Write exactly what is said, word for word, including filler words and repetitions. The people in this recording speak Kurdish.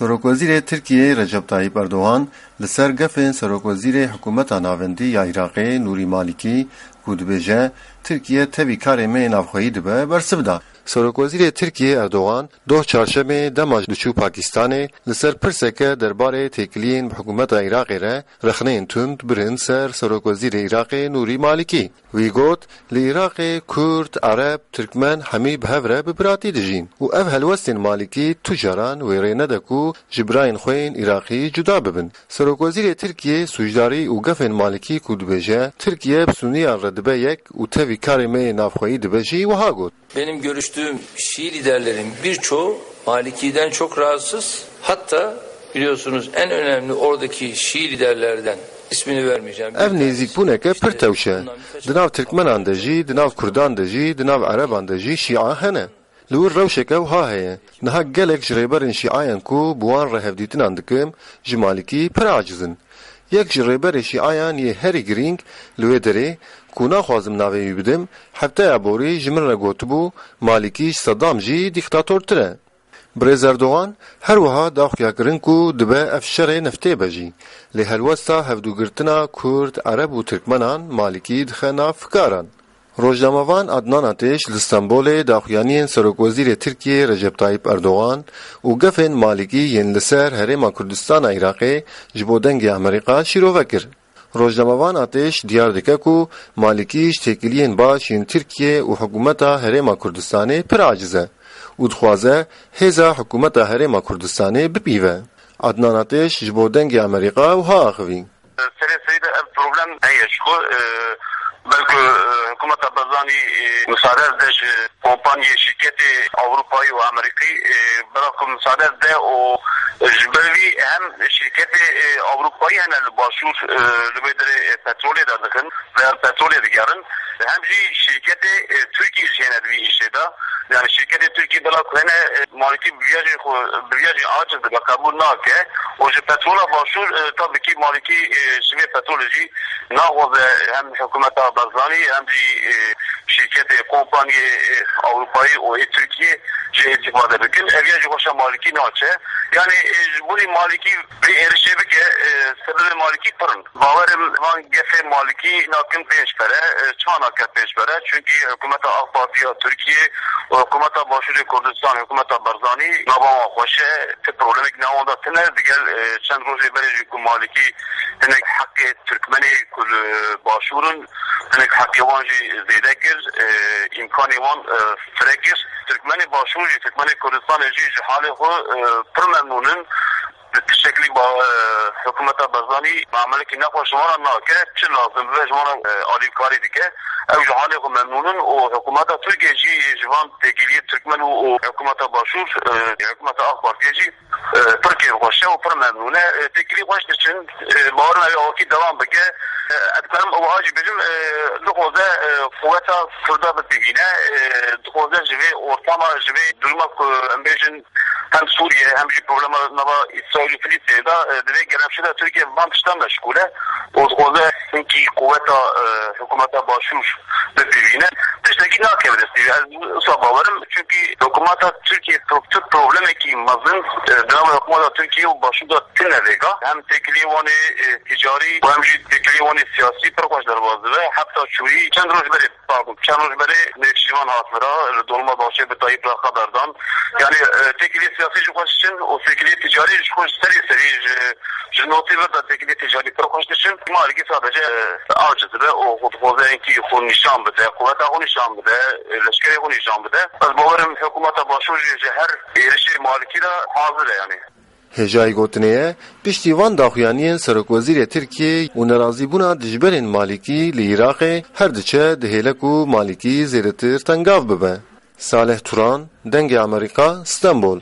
Serokwezîrê Tirkiyeyê Recep Tayyip Erdogan li ser gefên Serokwezîrê Hikûmeta Navendî ya Iraqê Nûrî Malîkî ku dibêje, Tirkiye tevî karê me yê navxweyî dibe, bersiv da. Serokwezîrê Tirkiyê Erdogan doh çarşemê dema diçû Pakistanê li ser pirseke derbarê têkiliyên bi hikûmeta Iraqê re rexneyên tund birin ser Serokwezîrê Iraqê Nûrî Malîkî. Wî got, li Iraqê Kurd, Ereb, Tirkmen hemî bi hev re bi biratî dijîn û ev helwestên Malîkî tu caran wê rê nede ku ji birayên xwe yên Iraqî cuda bibin. Serokwezîrê Tirkiyê sûcdarî û gefên Malîkî ku dibêje, Tirkiye bi Sûniyan re dibe yek û tevî karê me yê navxweyî dibe jî wiha got. Benim görüştüğüm Şii liderlerin birçoğu Maliki'den çok rahatsız. Hatta biliyorsunuz en önemli oradaki Şii liderlerden ismini vermeyeceğim. Ev nêzîkbûneke pir tewş e. Di nav Tirkmenan de jî, di nav Kurdan de jî, di nav Ereban de jî Şîa hene. Li wir rewşeke wiha heye. Niha gelek ji rêberên Şîayan ku bi wan re hevdîtinan dikim, ji Malîkî pir aciz in. Yek ji rêberê Şîayan yê herî girîng li wê derê, ku naxwazim navê wî bidim, hefteya borî ji min re gotibû, Malîkî ji Sedam jî dîktatortir e. Birêz Erdogan her wiha daxuya kirin ku dibe ev şerê neftê be jî. Lê helwesta hevdûgirtina Kurd, Ereb û Tirkmenan Malîkî dixe nav fikaran. Rojnamevan Adnan Ateş li Stenbolê daxuyaniyên Serokwezîrê Tirkiyê Recep Tayyip Erdogan û gefên Malîkî yên li ser Herêma Kurdistana Iraqê ji bo Dengê Amerîka şîrove kir. Rojnamevan Ateş diyar dike ku Malîkî ji têkiliyên baş yên Tirkiye û hikûmeta Herêma Kurdistanê pir aciz e û dixwaze hêza hikûmeta Herêma Kurdistanê bipîve. Adnan Ateş ji bo Dengê Amerîka wiha axivî. Serê serî de ev problem heye ji xwe, e, belku, e, hikûmeta Barzanî, e, misade de ji kompaniyê, şîrketê Ewropayî û Amerîkî, e, bela ku misade de û ji ber vî hem şîrketê, e, Ewropayî hene li başûr, e, li vê derê, e, petrolê derdixin veya petrolê digerin, hem jî şîrketê, e, Tirkî jî hene di vî îşê de. Yani şîrketê Tirkî bela ku hene, e, Malîkî bi vîya jî xwe, bi vîya jî aciz dibe, qebûl nake. Û ji petrola başûr, e, tabî kî Malîkî, e, ji vê petrolê jî naxwaze hem hikûmeta Barzanî hem jî, e, şîrketê, kompaniyê, e, Ewropayî û ê Tirkiyê jî îstîfade bikin. Ev ya jî xweşa Malîkî naçe. Yani, e, ji bo Malîkî vê êrişê bike, e, sebebê Malîkî pir in. Bawerim van gefê Malîkî nakin pênc pere, e, çima nake pênc pere? Çünkü hikûmeta AK Partî ya Tirkiyê û hikûmeta Başûrê Kurdistan, hikûmeta Barzanî nava wan xweş e, ti problemek nav wan de tine. Digel, e, çend rojê berê jî ku Malîkî hinek heqê Tirkmenê ku li Başûr in, hinek heqê wan jî zêde kir, e, îmkanê wan, e, fire kir. Tirkmenê Başûr jî, Tirkmenê Kurdistanê jî ji halê xwe, e, pir memnûn in. Bi tiştekî ba, e, hikûmeta Barzanî muamelekî nexweş ji wan re nake, çi lazim bibe ji wan re, e, alîkarî dike. Ew ji halê xwe memnûn in û hikûmeta Tirkiyê jî ji van têkiliyê Tirkmen û, û hikûmeta Başûr, e, hikûmeta AK Partiyê jî, e, pir kêfxweş e û pir memnûn e. E, têkilî xweş diçin, e, bawerim ew awakî dewam bike. E, ez dikarim ew jî bêjim, e, dixwaze, e, quweta Kurda bipîvîne, e, dixwaze ji vê ortama, ji vê duruma ku em bêjin, hem Sûriye hem jî problema nava Îsraîl û Filîstînê de, e, di vê gelemşê de Tirkiye bi van tiştan meşgûl e û dixwaze hinkî quweta, e, hikûmeta Başûr bipîvîne. Tiştekî nakeve destî. Ez wisa bawerim, çunkî hikûmeta Tirkiye pro-, tu problemekî mezin, e, di nava hikûmeta Tirkiye û Başûr de tine vêga. Hem têkiliyê wan ê, e, ticarî û hem jî têkiliyê wan ê siyasî pir xweş derbas dibe. Hefta çûyî çend roj berê Pardon, çend roj berê Nêçîrvan hat vira, li Dolmabahçe bi Tayyip re xeber dan. Yani, e, têkiliyê siyasî jî xweş diçin û têkiliyê ticarî jî xwe ji serê serî ji, ji notî vir de têkiliyê ticarî pir xweş diçin. Malîkî sadece, e, aciz dibe û xwe dixwaze hinkî xwe nîşan bide, quweta xwe nîşan bide, e, leşkerê xwe nîşan bide. Ez bawerim hikûmeta Başûr jî ji her êrişê Malîkî re hazir e yani. Hêjayî gotinê ye, piştî van daxuyaniyên Serokwezîrê Tirkiyê û nerazîbûna dijberên Malîkî li Iraqê her diçe dihêle ku Malîkî zêdetir tengav bibe. Salih Turan, Dengê Amerîka, Stenbol.